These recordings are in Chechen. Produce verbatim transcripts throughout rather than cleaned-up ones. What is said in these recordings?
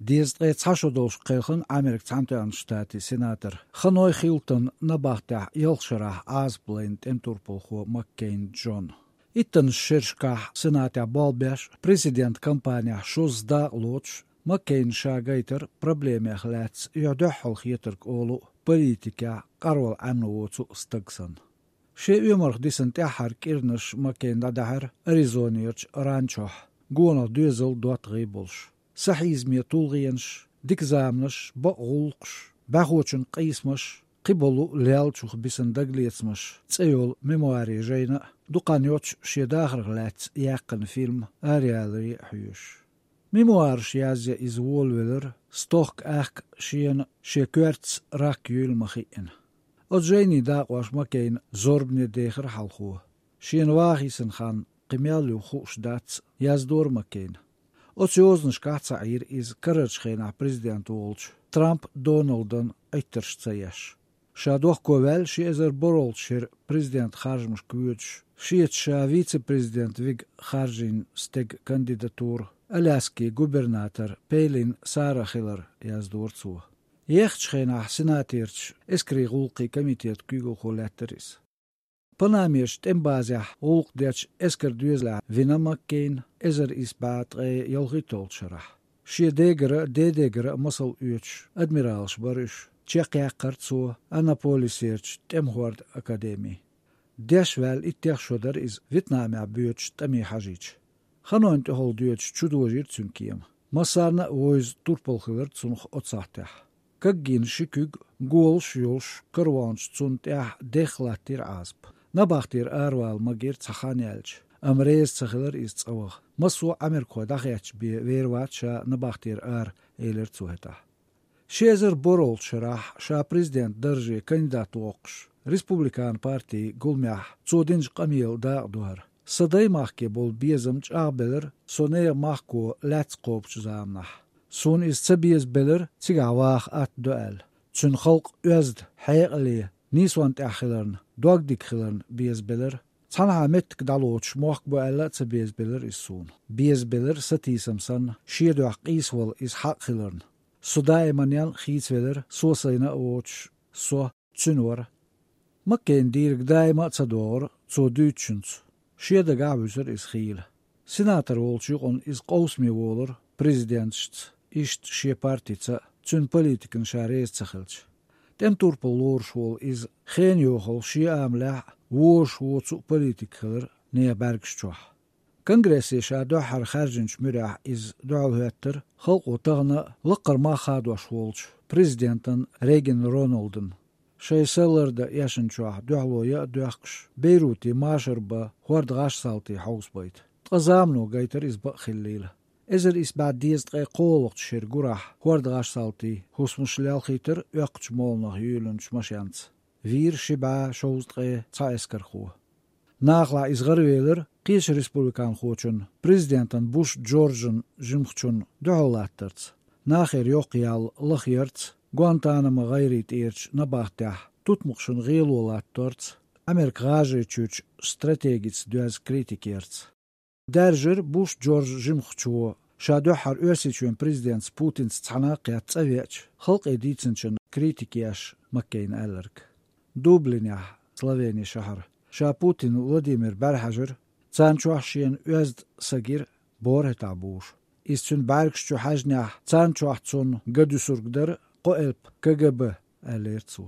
Дезткъе цхьа шо долуш кхелхина Американ Цхьаьнатоьхначу Штатийн сенатор, ханой Хилтон набахтехь ялх шарахь Ӏазап лайна тӀематурпалхо Маккейн Джон. Иттаннаш шерашкахь Сенатехь болх беш, президент кампанехь шозза дакъа лоцуш, Маккейна ша гайтара проблемех лаьцна юьхь дуьххьал хетарг олу а, политикехь къарвала Ӏемина воцу а стаг санна. Шен оьмарх дисина тӀаьххьара кӀирнаш Маккейна дӀадаьхьира Аризонерчу ранчохь, гонах доьзал, доттагӀий болуш, сахьийзаме тулгӀенаш, дика заманаш, бакъ гӀуллакхаш, бӀаьхочун къийсамаш, кхиболу леллачух бисина дагалецамаш цӀе йолу мемуаре жайна а, дукха хан йоцуш шен дахарх лаьцна яьккхина фильм араяларе а хьоьжуш. Мемуараш язъян иза волавелира, стохка-аьхка шена шен коьртаца рак юйла ма-хиъна. Оцу жайнийн дакъош Маккейна зорбане дехира хьалхо. Шена ваха йисина хан кхин мел ю хууш дац, яздора Маккейна. Оцу йозанашкахь ца Ӏийра иза карарчу хенахь президент волчу Трамп Доналдан Ӏиттарш ца еш. Ша дохко ваьлла ши эзар бархӀолгӀачу шеран президентан харжамашка воьдуш, шеца ша вице-президент вига харжийна стеган кандидатура Аляскин губернатор Пейлин Сара хилар, яздора цо. Ехачу хенахь Сенатерчу эскарийн гӀуллакхийн комитетан куьйгалхо лаьттара иза. Панамерчу тӀеман базехь гӀуллакх дечу эскаран доьзалехь вина Маккейн эзар исс бӀе ткъе ялхитталгӀачу шарахь. Шен дегара а, дедегара а масал оьцуш адмиралаш бара уьш, чекхъяьккхира цо Анаполисерчу тӀеман хӀордан академи. Деш ваьлла иттех шо дара иза Вьетнамехь боьдучу тӀаме хьажийча. Ханойн тӀехула доьдуш чудожийра цуьнан кема. Массарна а вовза турпал хилира цунах оцу сахьтехь. Кагйина ши куьг, голаш а йолуш, каравоьдучу цунна тӀехь дехха латтийра Ӏазап. Набахтера аравала магийра цхьа хан яьлча, амма реза ца хилира иза цӀа ваха. Массо а америкахой дӀахецча бен вер вац ша набахтера ара, элира цо хӀетахь. Ши эзар бархӀолгӀачу шарахь ша президентан дарже кандидат воккхуш, республикан партин гуламехь цо динчу къамелан дакъа ду хӀара. Сан даймахке болу безам чӀагӀбелира со нехан махко лаьцна кхобучу заманахь. Суна иза ца безабелира, цигахь ваха атта до аьлла. Цуьнан халкъ оьзда, хьекъале, нийсонна тӀехь хиларна, догдиг хиларна безабелира. Цхьанхьа меттиг дӀалоцуш мохк бу аьлла а ца безабелира иза суна. Безабелира сатийсам санна, шен дуьхьа къийсавала иза хьакъ хиларна. Со даиманна хийцавелира, со сайна а воцуш, со цуьнан вара. Маккейн дийриг даима а ца догӀура цо дуьйцучуьнца. Шен дагахь вуьсура иза хийла. Сенатор волчу юкъана иза къовсаме волура президенташца, иштта шен партица а, цуьнан политикана ша реза ца хилча. ТӀематурпал лоруш волу иза хенан йохалла шен амалехь а, вожуш воцу а политик хилира нехан бӀаьргаш чохь. Конгрессе ша дуьххьара хаьржинчу муьрехь иза дуьхьалхӀоьттира, халкъо тахана а лаккхара мах хадош волчу президентан Рейган Роналдан. Шайн са лардан эшначохь дуьхьало ян а доьхкуш, Бейрутан машар бан хӀордан гӀаш-салтий хьовсабайта. Ткъа замано гайтара иза бакъ хиллийла. Эзар исс бӀе дезткъе кхоалгӀачу шеран гурахь хӀордан гӀаш-салтий хӀусамаш лелхийтира оьккхучу молланах юьйлинчу машенца. Вийра ши бӀе шовзткъе цхьа эскархо. Нахалахь иза гӀаравелира кхечу республиканхочун, президентан Буш Джорджан жимхачун дуьхьал латтарца, нахера йоккха ял лахъярца, Гуантанамо гӀайре тӀерачу набахтехь тутмакхашна гӀело латторца, Америкин ГӀажарийчуьрчу стратегица доьзна критика ярца. Даьржира Буш Джорджа жимхачо, ша дуьххьара Оьрсийчоьнан президентца Путинца цхьаьна а кхетта цӀа веача, халкъе дийцинчун критика еш Маккейна аьлларг. Дублинехь, Словенин шахьар, ша Путин Владимир бӀаьрахьаьжира, царна чохь шена оьзда са гира, бохура хӀетахь Буша. Иза цуьнан бӀаьргаш чу хьаьжнехь, царна чохь цунна ган дуьсург дара кхо элп КГБ, аьллера цо.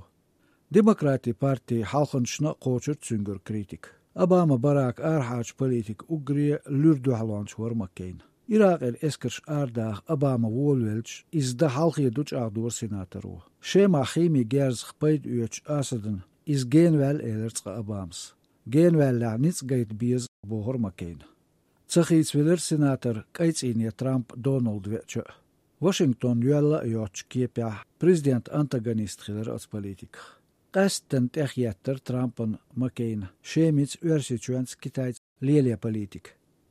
Демократийн партин хьалханчашна а кхочура цуьнгара критика. Обама Барака арахьарчу политикан уггаре луьра дуьхьалонча вара Маккейн. Иракъера эскарш арадаха Обама волавелча, иза дан хьалхе ду чӀагӀдора сенаторо. Шемахь химин герзах пайда оьцучу Асадана иза генаваьлла, элира цкъа Обамас. Генаваьллехь ницкъ гайта беза, бохура Маккейна. Ца хийцавелира сенатор кӀайн цӀийне Трамп Доналд веача а. Вашингтон йоьлла а йоцучу кепехь, президентан антагонист хилира оцу политиках. Къаьсттина тӀехъеттара Трампан Маккейна Шемица, Оьрсийчоьнца, Китайца лело политика.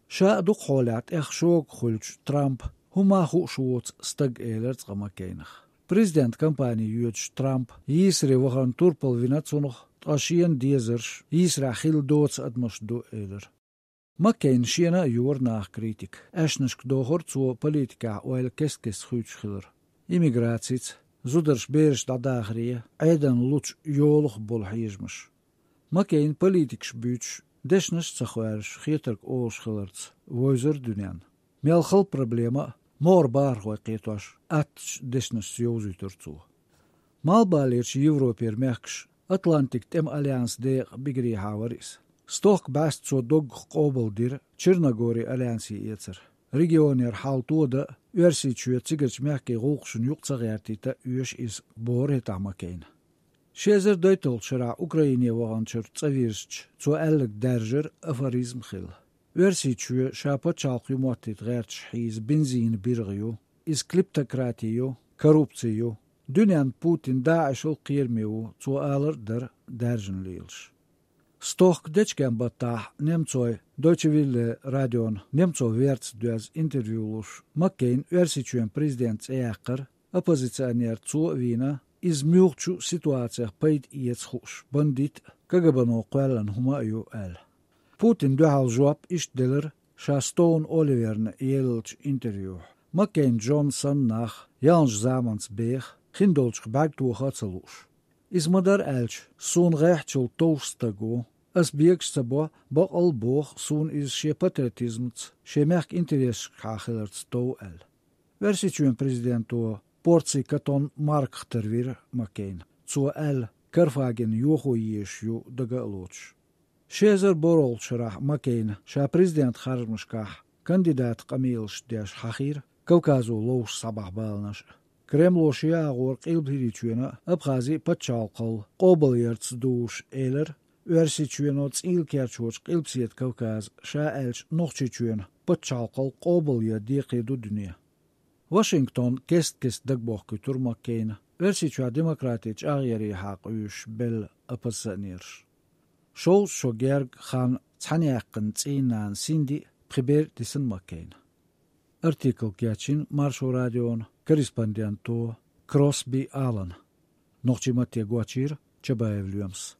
Ша а дукха хьолехь тӀех шога хуьлучу Трампа хӀумма а хууш воцу стаг, элира цкъа Маккейнах. Президентан кампани йоьдучу Трампа йийсаре вахана турпал вина цунах, ткъа шена дезарш йийсарехь хилла доцу адамаш ду, элира. Маккейна шена а йора наха критика. Аьшнашка дохура цо политикехь ойла кест-кеста хуьйцуш хилар. Иммиграцица, зударша бераш дӀадахаре, Ӏедална лучу йолах болу хьежамаш. Маккейна политикаш буьйцуш, дешнаш а ца хоьржуш, хетарг олуш хиларца вевзара дуьненна. Мел хала проблема а могӀара бахархой кхетош, аттачу дешнашца йовзуьйтура цо. Малхбалерчу Европера мехкаш Атлантик тӀеман альянсан декъан бигара хьавара иза. Стохка бӀаьста цо доггах къобалдира Черногорин альянсе эцар. Регионера хьал тодан а, Оьрсийчоь цигарчу мехкийн гӀуллакхашна юкъа ца гӀертийта а оьшу иза, бохура хӀетахь Маккейна. Ши эзар дейтталгӀачу шарахь Украине ваханчуьра цӀа вирзича, цо аьлларг даьржира афоризм хилла. Оьрсийчоь ша пачхьалкх ю моттийта гӀерташ хьийза бензинан биргӀа ю, иза клептократи ю, коррупци ю. Дуьненна Путин ДАИШ-ал кхераме ву, цо алар а дара даьржина лелаш. Стохка дечкен баттахь немцойн Deutsche Welle радиона немцойн верца доьзна интервью луш, Маккейна Оьрсийчоьнан президентан цӀе яьккхира, оппозиционер цо а вийна, иза муьлххачу ситуацех пайда эца хууш бандит а, КГБ-но кхоьллина хӀума а ю аьлла. Путинна дуьхьал жоп иштта делира ша Стоун Оливерна еллачу интервьюхь. Маккейн Джон санна нах, ялханчу заманца беха, хиндолчух бӀаьрг тоха а ца лууш. Иза ма-дарра аьлча, суна гӀеххьачул товш стаг ву. Ас бегаш ца бо, бакъалла а боху, суна иза шен патриотизмца, шен мехкан интересашкахьа хиларца тов аьлла. Оьрсийчоьнан президенто порцин катон марках тарвира Маккейна. Цо аьлла, Карфагена йохо езаш ю дага а лоцуш. Ши эзар борхӀалгӀачу шарахь Маккейна ша президентан харжамашкахь кандидатан къамелаш деш хьахийра Кавказо ловш схьабахьа баланаш а. Кремло шен агӀор Къилба ХӀирийчоьнан а, Абхазин а пачхьалкхал къобалъярца дузуш элира, Оьрсийчоьно цӀийла керчочу Къилбаседа Кавказан, ша аьлча, Нохчийчоьнан пачхьалкхал къобалъян декхе ду дуьне. Вашингтон кест-кеста дагабохкуьйтура Маккейна Оьрсийчохь демократи чӀагӀъярехьа къуьйсуш белла оппозиционераш. Шовзткъа шо герга хан цхьаьнаккха цӀийнан нана Синди а, пхи бер а дисина Маккейна. Артикл кечйина Маршо радион корреспонденто Кросби Алана. Нохчийн матте гочйийра Чабаев Лоьмас.